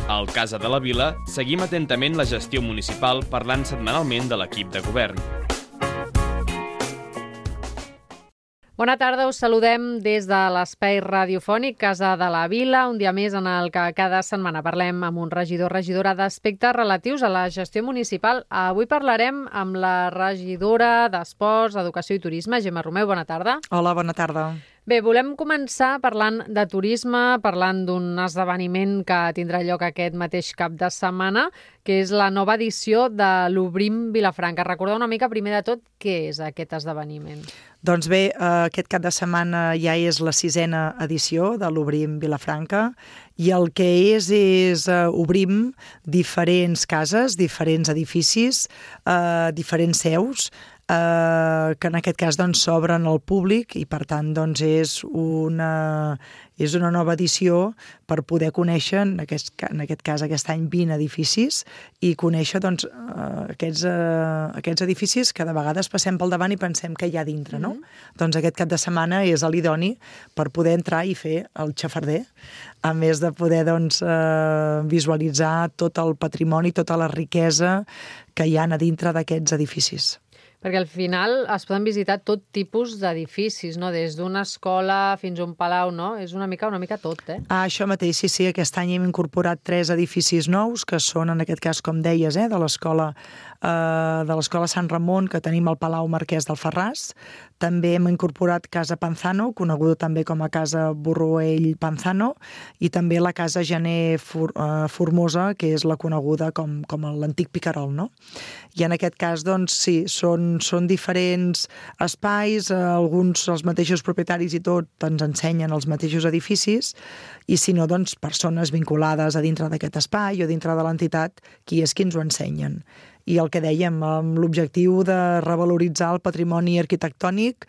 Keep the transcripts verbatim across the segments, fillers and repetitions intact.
Al Casa de la Vila seguim atentament la gestió municipal parlant setmanalment de l'equip de govern. Bona tarda, us saludem des de l'espai radiofònic Casa de la Vila, un dia més en el que cada setmana parlem amb un regidor o regidora d'aspectes relatius a la gestió municipal. Avui parlarem amb la regidora d'Esports, Educació i Turisme, Gemma Romeu. Bona tarda. Hola, bona tarda. Bé, volem començar parlant de turisme, parlant d'un esdeveniment que tindrà lloc aquest mateix cap de setmana, que és la nova edició de l'Obrim Vilafranca. Recordeu una mica, primer de tot, què és aquest esdeveniment? Doncs bé, aquest cap de setmana ja és la sisena edició de l'Obrim Vilafranca i el que és és uh, obrim diferents cases, diferents edificis, uh, diferents seus, Uh, que en aquest cas doncs, s'obren al públic i per tant doncs, és, una, és una nova edició per poder conèixer, en aquest, en aquest cas aquest any, vint edificis i conèixer doncs, uh, aquests, uh, aquests edificis que de vegades passem pel davant i pensem que hi ha dintre. No? Mm-hmm. Doncs aquest cap de setmana és l'idoni per poder entrar i fer el xafarder, a més de poder doncs, uh, visualitzar tot el patrimoni, tota la riquesa que hi ha a dintre d'aquests edificis. Perquè al final es poden visitar tot tipus d'edificis, no? Des d'una escola fins a un palau, no? És una mica una mica tot, eh? Ah, això mateix, sí, sí. Aquest any hem incorporat tres edificis nous, que són, en aquest cas, com deies, eh, de l'escola eh, de l'escola Sant Ramon, que tenim al Palau Marquès d'Alfarràs. També hem incorporat Casa Panzano, coneguda també com a Casa Borruell Panzano, i també la Casa Gener For, eh, Formosa, que és la coneguda com, com l'antic Picarol, no? I en aquest cas, doncs, sí, són, són diferents espais, eh, alguns, els mateixos propietaris i tot, ens ensenyen els mateixos edificis, i si no, doncs, persones vinculades a dintre d'aquest espai o dintre de l'entitat, qui és qui ens ho ensenyen. I el que dèiem, amb l'objectiu de revaloritzar el patrimoni arquitectònic,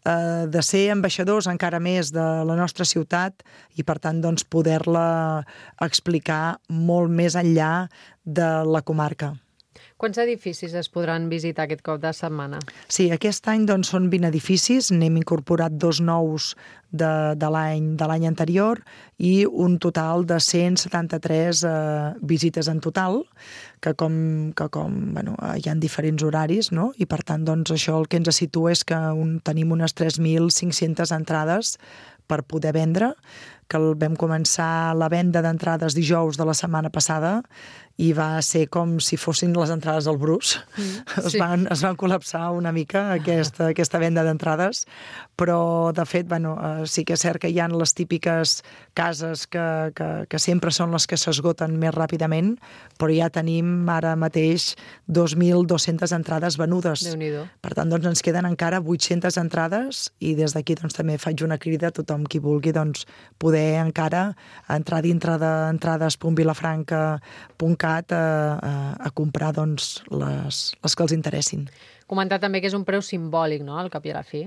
eh, de ser ambaixadors encara més de la nostra ciutat i, per tant, doncs, poder-la explicar molt més enllà de la comarca. Quants edificis es podran visitar aquest cop de setmana? Sí, aquest any doncs, són vint edificis, n'hem incorporat dos nous de, de l'any de l'any anterior i un total de cent setanta-tres eh, visites en total, que com, que com bueno, hi ha diferents horaris, no? I per tant doncs, això el que ens situa és que un, tenim unes tres mil cinc-centes entrades per poder vendre, que el vam començar la venda d'entrades dijous de la setmana passada i va ser com si fossin les entrades al Brus. Mm, sí. es, van, es van col·lapsar una mica aquesta, aquesta venda d'entrades, però de fet bueno, eh, sí que és cert que hi ha les típiques cases que, que, que sempre són les que s'esgoten més ràpidament, però ja tenim ara mateix dos mil dues-centes entrades venudes. Déu-n'hi-do. Per tant, doncs, ens queden encara vuit-centes entrades i des d'aquí doncs, també faig una crida a tothom qui vulgui doncs, poder encara entrar dintre d'entrades punt vilafranca punt cat a, a, a comprar doncs, les, les que els interessin. Comentar també que és un preu simbòlic, no?, al cap i a la fi.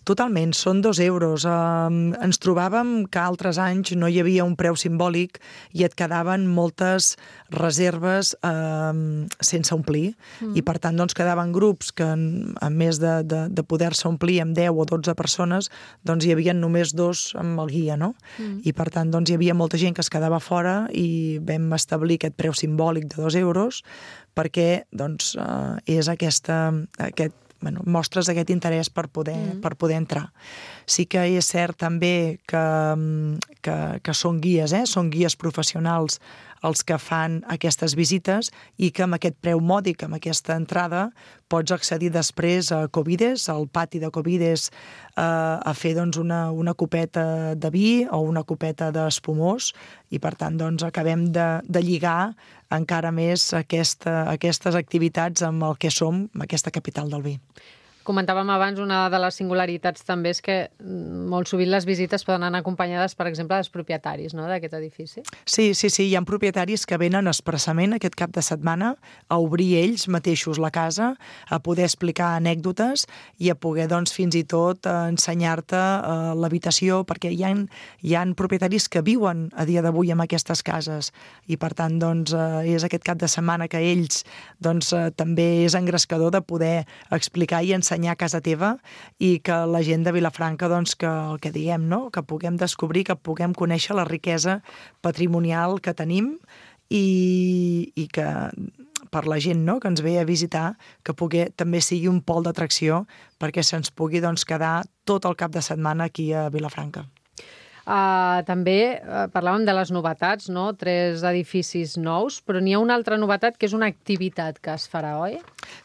Totalment, són dos euros. Uh, ens trobàvem que altres anys no hi havia un preu simbòlic i et quedaven moltes reserves uh, sense omplir. Mm. I per tant doncs, quedaven grups que, a més de, de, de poder-se omplir amb deu o dotze persones, doncs hi havia només dos amb el guia, no? Mm. I per tant doncs, hi havia molta gent que es quedava fora i vam establir aquest preu simbòlic de dos euros perquè doncs, uh, és aquesta, aquest, bueno, mostres aquest interès per poder, mm. per poder entrar. Sí que és cert també que, que, que són guies, eh? Són guies professionals els que fan aquestes visites i que amb aquest preu mòdic, amb aquesta entrada, pots accedir després a Covides, al pati de Covides, eh, a fer doncs, una, una copeta de vi o una copeta d'espumós i per tant doncs, acabem de, de lligar encara més aquesta, aquestes activitats amb el que som, amb aquesta capital del vi. Comentàvem abans, una de les singularitats també és que molt sovint les visites poden anar acompanyades, per exemple, dels propietaris, no?, d'aquest edifici. Sí, sí, sí, hi ha propietaris que venen expressament aquest cap de setmana a obrir ells mateixos la casa, a poder explicar anècdotes i a poder, doncs, fins i tot ensenyar-te eh, l'habitació, perquè hi ha, hi ha propietaris que viuen a dia d'avui en aquestes cases i, per tant, doncs, eh, és aquest cap de setmana que ells, doncs, eh, també és engrescador de poder explicar i ensenyar a casa teva i que la gent de Vilafranca, doncs, que el que diem, no?, que puguem descobrir, que puguem conèixer la riquesa patrimonial que tenim i, i que per la gent, no?, que ens ve a visitar, que pugui, també sigui un pol d'atracció perquè se'ns pugui doncs, quedar tot el cap de setmana aquí a Vilafranca. Uh, també uh, parlàvem de les novetats, no? Tres edificis nous, però n'hi ha una altra novetat que és una activitat que es farà, oi?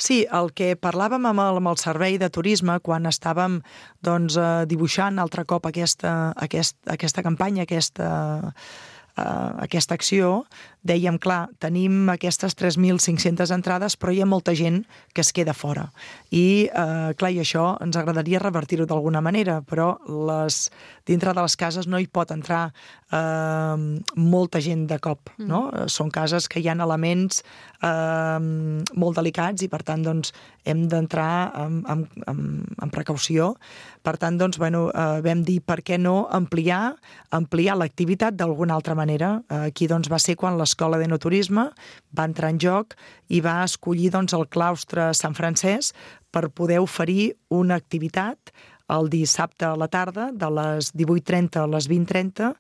Sí, el que parlàvem amb el, amb el servei de turisme quan estàvem doncs, uh, dibuixant altre cop aquesta, aquest, aquesta campanya, aquesta... Uh, aquesta acció, dèiem, clar, tenim aquestes tres mil cinc-centes entrades, però hi ha molta gent que es queda fora. I, uh, clar, i això ens agradaria revertir-ho d'alguna manera, però les, dintre de les cases no hi pot entrar uh, molta gent de cop, no? Mm. Són cases que hi ha elements uh, molt delicats i, per tant, doncs, hem d'entrar amb, amb, amb, amb precaució. Per tant, doncs, bueno, uh, vam dir per què no ampliar, ampliar l'activitat d'alguna altra manera. Uh, aquí doncs, va ser quan l'Escola d'Enoturisme va entrar en joc i va escollir doncs, el claustre Sant Francesc per poder oferir una activitat el dissabte a la tarda, de les divuit trenta a les vint trenta,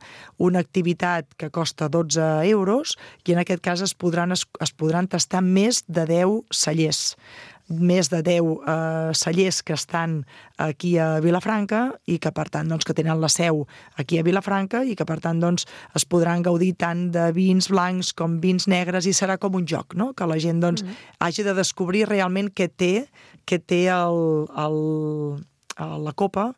una activitat que costa dotze euros i en aquest cas es podran, es, es podran tastar més de deu cellers. més de deu eh, cellers que estan aquí a Vilafranca i que, per tant, doncs, que tenen la seu aquí a Vilafranca i que, per tant, doncs, es podran gaudir tant de vins blancs com vins negres i serà com un joc, no? Que la gent doncs, mm-hmm. hagi de descobrir realment què té, què té el, el, la copa,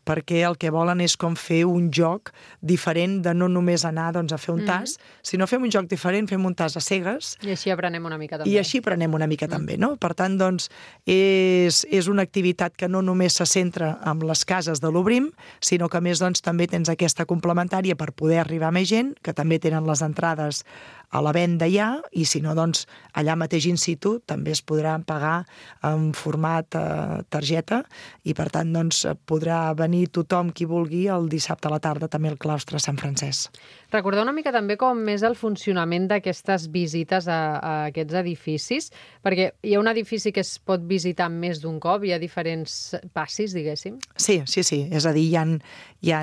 perquè el que volen és com fer un joc diferent de no només anar doncs, a fer un tas, mm. sinó fem un joc diferent, fem un tas a cegues. I així aprenem una mica també. I així aprenem una mica mm. també, no? Per tant, doncs, és, és una activitat que no només se centra en les cases de l'Obrim, sinó que a més doncs, també tens aquesta complementària per poder arribar a més gent, que també tenen les entrades a la venda ja, i si no, doncs, allà mateix in situ també es podrà pagar en format eh, targeta i, per tant, doncs, podrà venir tothom qui vulgui el dissabte a la tarda també al claustre Sant Francesc. Recordar una mica també com és el funcionament d'aquestes visites a, a aquests edificis, perquè hi ha un edifici que es pot visitar més d'un cop, hi ha diferents passis, diguéssim. Sí, sí, sí. És a dir, hi ha, hi ha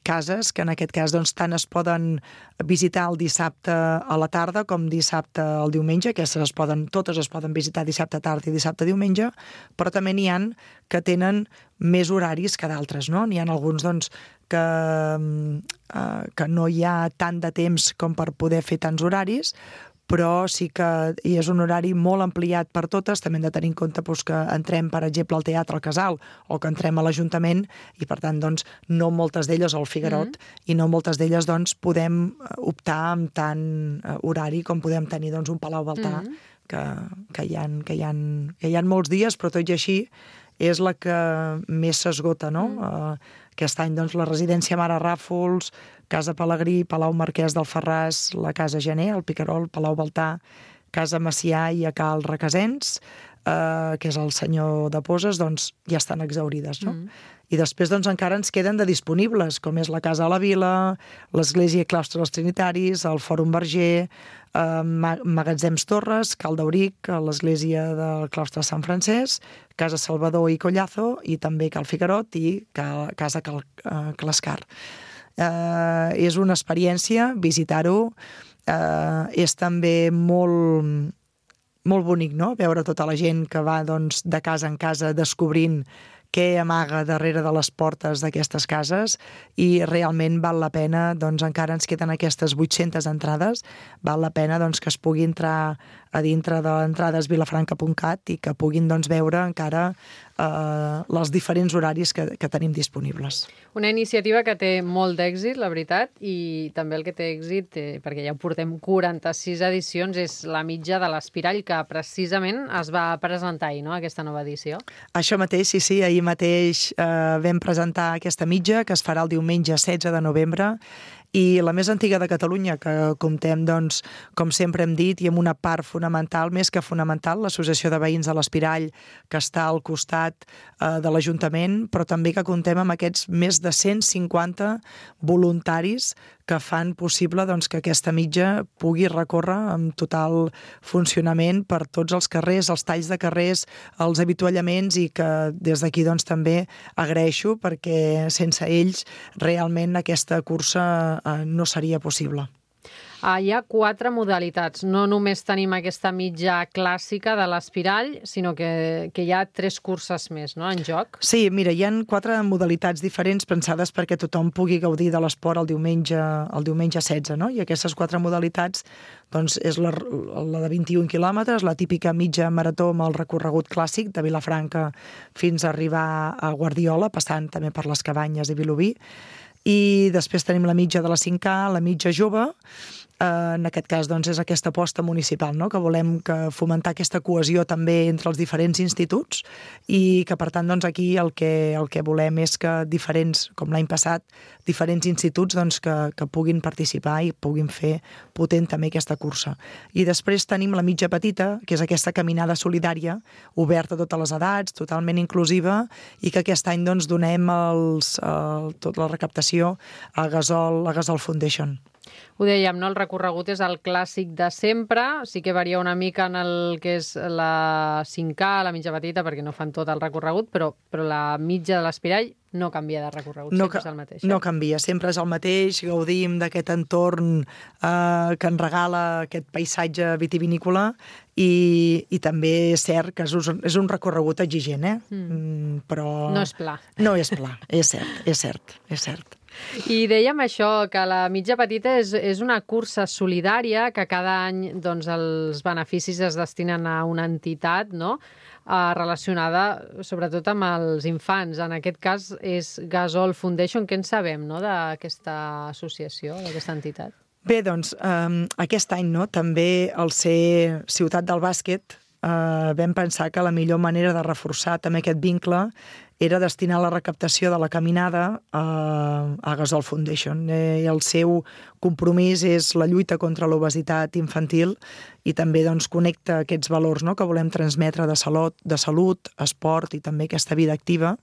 cases que en aquest cas doncs, tant es poden visitar el dissabte a la tarda com dissabte al diumenge, que es poden, totes es poden visitar dissabte tarda i dissabte diumenge, però també n'hi ha que tenen més horaris que d'altres, no? N'hi ha alguns doncs, que, eh, que no hi ha tant de temps com per poder fer tants horaris, però sí que hi és un horari molt ampliat per totes. També hem de tenir en compte doncs, que entrem, per exemple, al Teatre al Casal o que entrem a l'Ajuntament i, per tant, doncs, no moltes d'elles al Figuerot mm-hmm. i no moltes d'elles doncs, podem optar amb tant horari com podem tenir doncs, un Palau Baltà mm-hmm. que, que, hi ha, que, hi ha, que hi ha molts dies, però tot i així és la que més s'esgota, no? Mm. Uh, aquest any, doncs, la residència Mare Ràfols, Casa Pelegrí, Palau Marquès del Ferràs, la Casa Gener, el Picarol, Palau Baltà, Casa Macià i a Cal Requesens, eh, que és el senyor de Poses, doncs ja estan exaurides, no? Mm. I després doncs, encara ens queden de disponibles, com és la Casa a la Vila, l'Església i Claustre dels Trinitaris, el Fòrum Verger, eh, Magatzems Torres, Cal d'Auric, l'Església del Claustre Sant Francesc, Casa Salvador i Collazo, i també Cal Figuerot i Cal, Casa Cal, eh, Clascar. Eh, és una experiència, visitar-ho, eh, és també molt, molt bonic, no?, veure tota la gent que va doncs, de casa en casa descobrint què amaga darrere de les portes d'aquestes cases i realment val la pena, doncs encara ens queden aquestes vuit-centes entrades, val la pena doncs, que es pugui entrar a dintre de entrades vilafranca punt cat i que puguin doncs, veure encara eh, els diferents horaris que, que tenim disponibles. Una iniciativa que té molt d'èxit, la veritat, i també el que té èxit, eh, perquè ja portem quaranta-sis edicions, és la mitja de l'Espirall, que precisament es va presentar ahir, no?, aquesta nova edició. Això mateix, sí, sí, ahir mateix eh, vam presentar aquesta mitja, que es farà el diumenge setze de novembre, i la més antiga de Catalunya, que comptem, doncs, com sempre hem dit, i amb una part fonamental, més que fonamental, l'Associació de Veïns de l'Espirall, que està al costat eh, de l'Ajuntament, però també que comptem amb aquests més de cent cinquanta voluntaris que fan possible doncs, que aquesta mitja pugui recórrer amb total funcionament per tots els carrers, els talls de carrers, els avituallaments, i que des d'aquí doncs, també agraeixo, perquè sense ells realment aquesta cursa eh, no seria possible. Uh, hi ha quatre modalitats. No només tenim aquesta mitja clàssica de l'espirall, sinó que, que hi ha tres curses més, no?, en joc. Sí, mira, hi ha quatre modalitats diferents pensades perquè tothom pugui gaudir de l'esport el diumenge, el diumenge setze, no? I aquestes quatre modalitats doncs, és la, la de vint-i-un quilòmetres, la típica mitja marató amb el recorregut clàssic de Vilafranca fins a arribar a Guardiola, passant també per les Cabanyes i Vilobí. I després tenim la mitja de la cinc K, la mitja jove. En aquest cas doncs, és aquesta aposta municipal, no?, que volem que fomentar aquesta cohesió també entre els diferents instituts i que, per tant, doncs, aquí el que, el que volem és que diferents, com l'any passat, diferents instituts doncs, que, que puguin participar i puguin fer potent també aquesta cursa. I després tenim la mitja petita, que és aquesta caminada solidària, oberta a totes les edats, totalment inclusiva, i que aquest any doncs, donem els, el, tota la recaptació a Gasol, a Gasol Foundation. Ho dèiem, no? El recorregut és el clàssic de sempre, sí que varia una mica en el que és la cinc K, la mitja petita, perquè no fan tot el recorregut, però, però la mitja de l'espirall no canvia de recorregut, no, sempre és el mateix. Eh? No canvia, sempre és el mateix, gaudim d'aquest entorn eh, que ens regala aquest paisatge vitivinícola i, i també és cert que és un, és un recorregut exigent, eh? Mm. Però... No és pla. No és pla, és cert, és cert, és cert. I dèiem això, que la mitja petita és, és una cursa solidària que cada any doncs, els beneficis es destinen a una entitat, no?, eh, relacionada sobretot amb els infants. En aquest cas és Gasol Foundation. Què en sabem, no?, d'aquesta associació, d'aquesta entitat? Bé, doncs, eh, aquest any no, també al ser ciutat del bàsquet eh, vam pensar que la millor manera de reforçar també aquest vincle era destinar la recaptació de la caminada a, a Gasol Foundation. Eh, el seu compromís és la lluita contra l'obesitat infantil i també doncs, connecta aquests valors, no?, que volem transmetre de salut, de salut, esport i també aquesta vida activa.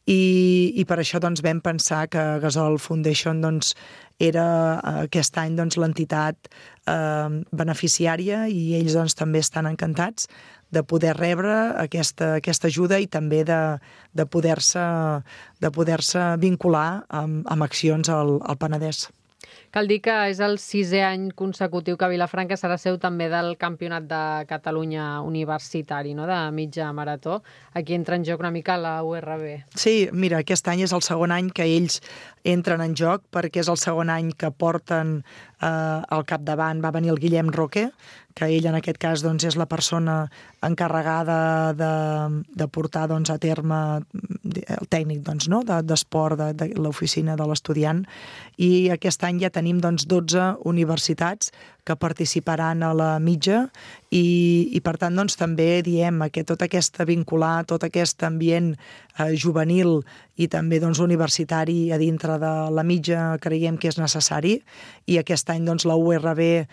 I, i per això doncs, vam pensar que Gasol Foundation doncs, era aquest any doncs, l'entitat eh, beneficiària i ells doncs, també estan encantats de poder rebre aquesta, aquesta ajuda i també de, de poder-se de poder-se vincular amb, amb accions al, al Penedès. Cal dir que és el sisè any consecutiu que Vilafranca serà seu també del Campionat de Catalunya universitari, no?, de mitja marató. Aquí entra en joc una mica la U R B. Sí, mira, aquest any és el segon any que ells entren en joc perquè és el segon any que porten eh, al capdavant, va venir el Guillem Roque, que ell en aquest cas doncs, és la persona encarregada de, de portar doncs, a terme el tècnic doncs, no? d'esport de, de, de l'oficina de l'estudiant, i aquest any ja tenim doncs, dotze universitats que participaran a la mitja i, i per tant doncs, també diem que tot aquest vincular, tot aquest ambient eh, juvenil i també doncs, universitari a dintre de la mitja creiem que és necessari, i aquest any doncs, la U R B eh,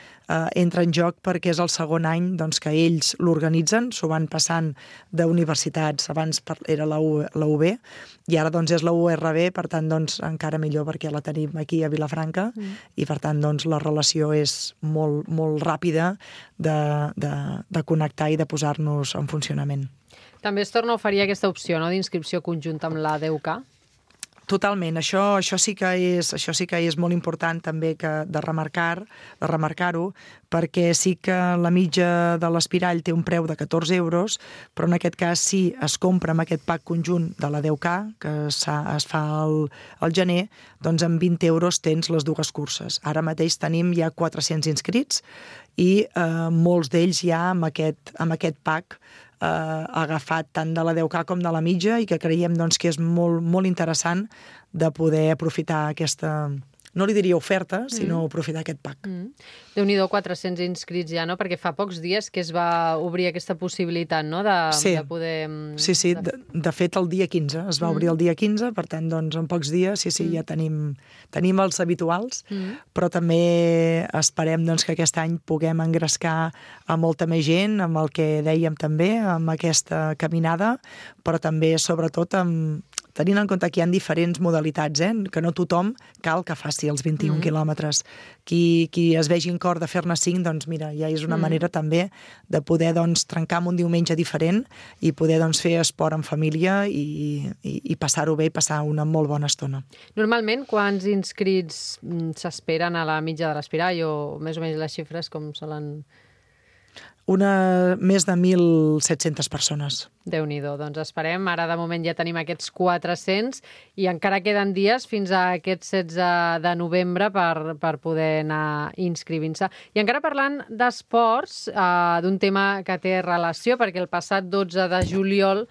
entra en joc perquè és el segon any doncs, que ells l'organitzen, s'ho van passant d'universitats, abans era la, U, la U B i ara doncs, és la U R B, per tant doncs, encara millor perquè la tenim aquí a Vilafranca mm. i per tant doncs, la relació és molt, molt ràpida de, de, de connectar i de posar-nos en funcionament. També es torna a oferir aquesta opció, no?, d'inscripció conjunta amb la D U C A? Totalment, això, això, sí que és, això sí que és molt important també que de remarcar, de remarcar-ho, perquè sí que la mitja de l'espirall té un preu de catorze euros, però en aquest cas si es compra amb aquest pack conjunt de la D U C A, que es fa al, al gener, doncs amb vint euros tens les dues curses. Ara mateix tenim ja quatre-cents inscrits i eh, molts d'ells ja amb aquest, amb aquest pack eh, agafat tant de la D U C A com de la mitja i que creiem doncs, que és molt, molt interessant de poder aprofitar aquesta, no li diria oferta, sinó mm. aprofitar aquest pack. Mm. Déu-n'hi-do, quatre-cents inscrits ja, no? Perquè fa pocs dies que es va obrir aquesta possibilitat, no?, de, sí. de poder... Sí, sí, de, de fet el dia quinze, es va mm. obrir el dia quinze, per tant, doncs, en pocs dies, sí, sí, mm. ja tenim, tenim els habituals, mm. però també esperem doncs, que aquest any puguem engrescar a molta més gent, amb el que dèiem també, amb aquesta caminada, però també, sobretot, amb tenint en compte que hi ha diferents modalitats, eh? Que no tothom cal que faci els vint-i-un mm. quilòmetres. Qui, qui es vegi en cor de fer-ne cinc, doncs mira, ja és una mm. manera també de poder doncs, trencar amb un diumenge diferent i poder doncs, fer esport en família i, i, i passar-ho bé i passar una molt bona estona. Normalment, quants inscrits s'esperen a la mitja de l'Espirall o més o menys les xifres com solen... Una, més de mil set-centes persones. Déu-n'hi-do, doncs esperem. Ara de moment ja tenim aquests quatre-cents i encara queden dies fins a aquest setze de novembre per, per poder anar inscrivint-se. I encara parlant d'esports, eh, d'un tema que té relació, perquè el passat dotze de juliol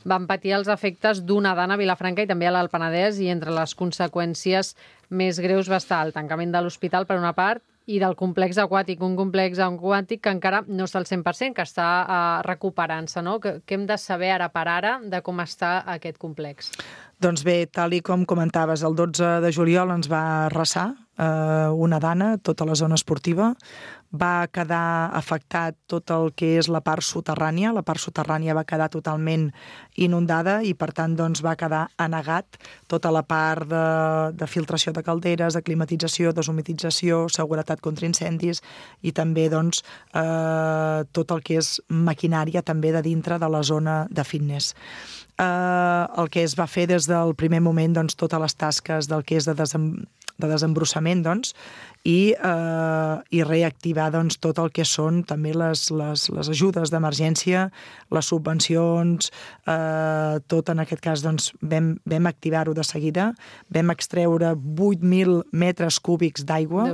van patir els efectes d'una dana a Vilafranca i també a l'Alt Penedès, i entre les conseqüències més greus va estar el tancament de l'hospital, per una part, i del complex aquàtic, un complex aquàtic que encara no està al cent per cent, que està uh, recuperant-se, no? Què hem de saber ara per ara de com està aquest complex? Doncs bé, tal i com comentaves, el dotze de juliol ens va arrasar eh, una dana, tota la zona esportiva. Va quedar afectat tot el que és la part soterrània. La part soterrània va quedar totalment inundada i, per tant, doncs, va quedar anegat tota la part de, de filtració de calderes, de climatització, deshumitització, seguretat contra incendis i també doncs, eh, tot el que és maquinària també de dintre de la zona de fitness. Eh, el que es va fer des del primer moment, doncs, totes les tasques del que és de, desem, de desembrossament, doncs, i, eh, i reactivar doncs, tot el que són també les, les, les ajudes d'emergència, les subvencions, eh, tot en aquest cas doncs, vam, vam activar-ho de seguida, vam extreure vuit mil metres cúbics d'aigua,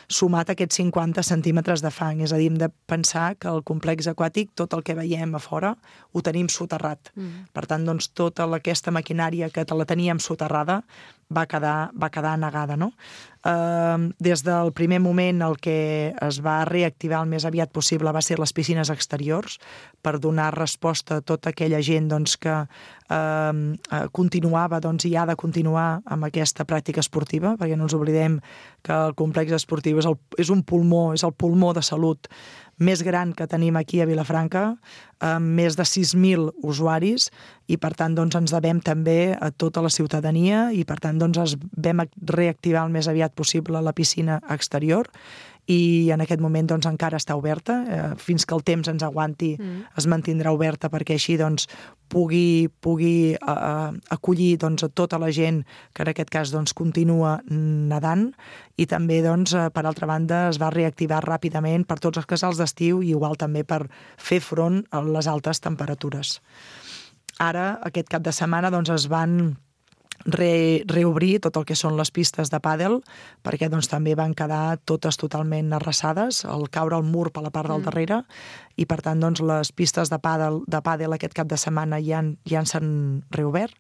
sumat a aquests cinquanta centímetres de fang. És a dir, hem de pensar que el complex aquàtic, tot el que veiem a fora, ho tenim soterrat. Mm. Per tant, doncs, tota aquesta maquinària que la teníem soterrada va quedar, va quedar negada, no? Uh, des del primer moment el que es va reactivar el més aviat possible va ser les piscines exteriors per donar resposta a tota aquella gent doncs, que uh, continuava doncs, i ha de continuar amb aquesta pràctica esportiva, perquè no ens oblidem que el complex esportiu és, el, és un pulmó, és el pulmó de salut més gran que tenim aquí a Vilafranca, amb més de sis mil usuaris, i per tant doncs, ens devem també a tota la ciutadania i per tant doncs, es vam reactivar el més aviat possible la piscina exterior i en aquest moment doncs, encara està oberta. Eh, fins que el temps ens aguanti mm. es mantindrà oberta perquè així doncs, pugui, pugui eh, acollir doncs, a tota la gent que en aquest cas doncs, continua nedant i també doncs, eh, per altra banda es va reactivar ràpidament per tots els casals d'estiu i igual també per fer front a les altes temperatures. Ara, aquest cap de setmana, doncs, es van Re, reobrir tot el que són les pistes de pàdel, perquè doncs, també van quedar totes totalment arrasades, al caure el mur per la part del mm. darrere, i per tant doncs, les pistes de pàdel, de pàdel aquest cap de setmana ja, ja s'han reobert,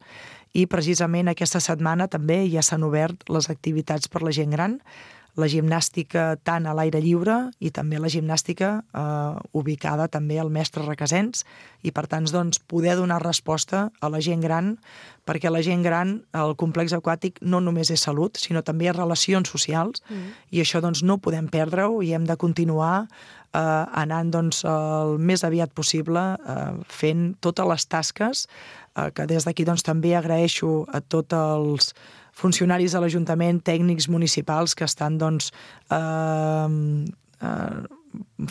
i precisament aquesta setmana també ja s'han obert les activitats per la gent gran, la gimnàstica tant a l'aire lliure i també la gimnàstica eh, ubicada també al Mestre Requesens i per tant doncs, poder donar resposta a la gent gran, perquè la gent gran, el complex aquàtic no només és salut, sinó també relacions socials mm. i això doncs, no podem perdre-ho i hem de continuar eh, anant doncs, el més aviat possible eh, fent totes les tasques eh, que des d'aquí doncs, també agraeixo a tots els funcionaris de l'Ajuntament, tècnics municipals que estan doncs, eh, eh,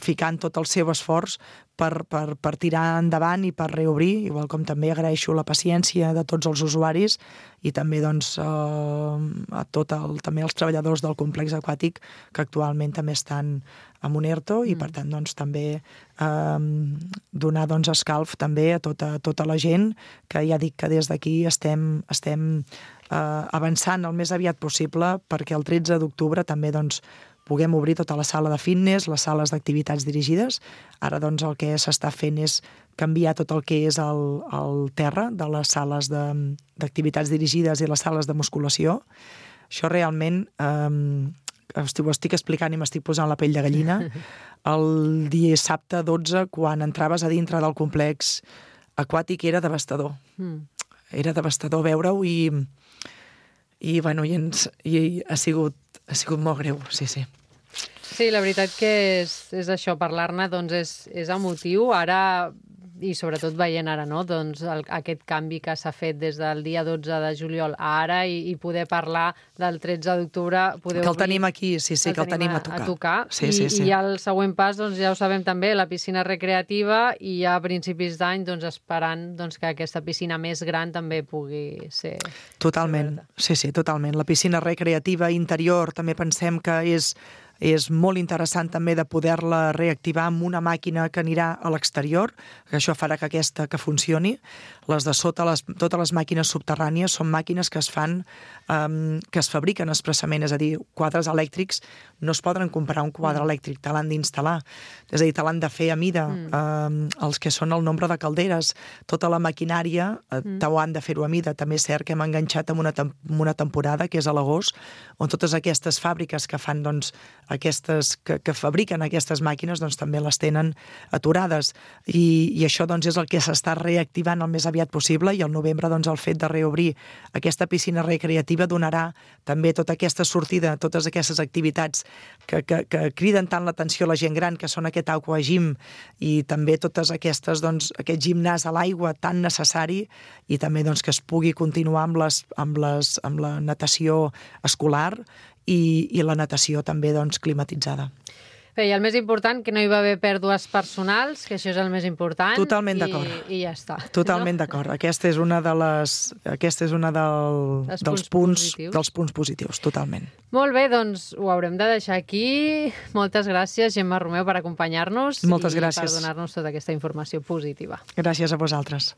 ficant tot el seu esforç per, per, per tirar endavant i per reobrir, igual com també agraeixo la paciència de tots els usuaris i també doncs, eh, a tot el, també els treballadors del complex aquàtic que actualment també estan amb un ERTO i per tant doncs, també eh, donar doncs, escalf també a tota, a tota la gent que ja dic que des d'aquí estem, estem eh, avançant el més aviat possible perquè el tretze d'octubre també doncs, puguem obrir tota la sala de fitness, les sales d'activitats dirigides. Ara doncs, el que s'està fent és canviar tot el que és el, el terra de les sales d'activitats dirigides i les sales de musculació. Això realment, eh, ho estic explicant i m'estic posant la pell de gallina, el dissabte dotze, quan entraves a dintre del complex aquàtic, era devastador. Mm. Era devastador veure-ho i, i, bueno, i, ens, i ha, sigut, ha sigut molt greu, sí, sí. Sí, la veritat que és, és això, parlar-ne doncs és, és emotiu. Ara i sobretot veient ara no? doncs el, aquest canvi que s'ha fet des del dia dotze de juliol a ara i, i poder parlar del tretze d'octubre. Que el tenim aquí, sí, sí, que el tenim a tocar. A tocar. Sí, I, sí, sí. I el següent pas, doncs, ja ho sabem també, la piscina recreativa, i ja a principis d'any doncs, esperant doncs, que aquesta piscina més gran també pugui ser... Totalment, sí, sí, totalment. La piscina recreativa interior també pensem que és és molt interessant també de poder-la reactivar amb una màquina que anirà a l'exterior, que això farà que aquesta que funcioni. Les de sota, les, totes les màquines subterrànies són màquines que es fan, um, que es fabriquen expressament, és a dir, quadres elèctrics no es poden comprar un quadre mm. elèctric, te l'han d'instal·lar, és a dir, te l'han de fer a mida, mm. um, els que són el nombre de calderes, tota la maquinària uh, mm. t'ho han de fer-ho a mida. També és cert que hem enganxat amb una, tem una temporada, que és a l'agost, on totes aquestes fàbriques que fan, doncs, aquestes, que, que fabriquen aquestes màquines doncs, també les tenen aturades i, i això doncs, és el que s'està reactivant el més aviat possible i al novembre doncs, el fet de reobrir aquesta piscina recreativa donarà també tota aquesta sortida, totes aquestes activitats que, que, que criden tant l'atenció a la gent gran, que són aquest aquagym i també totes aquestes, doncs, aquest gimnàs a l'aigua tan necessari i també doncs, que es pugui continuar amb, les, amb, les, amb la natació escolar i, i la natació també doncs, climatitzada. Bé, i el més important, que no hi va haver pèrdues personals, que això és el més important. Totalment d'acord. I, I ja està. Totalment no? d'acord. Aquesta és una de les, aquesta és una del, dels punts, punts positius. dels punts positius, totalment. Molt bé, doncs ho haurem de deixar aquí. Moltes gràcies, Gemma Romeu, per acompanyar-nos Moltes i gràcies. per donar-nos tota aquesta informació positiva. Gràcies a vosaltres.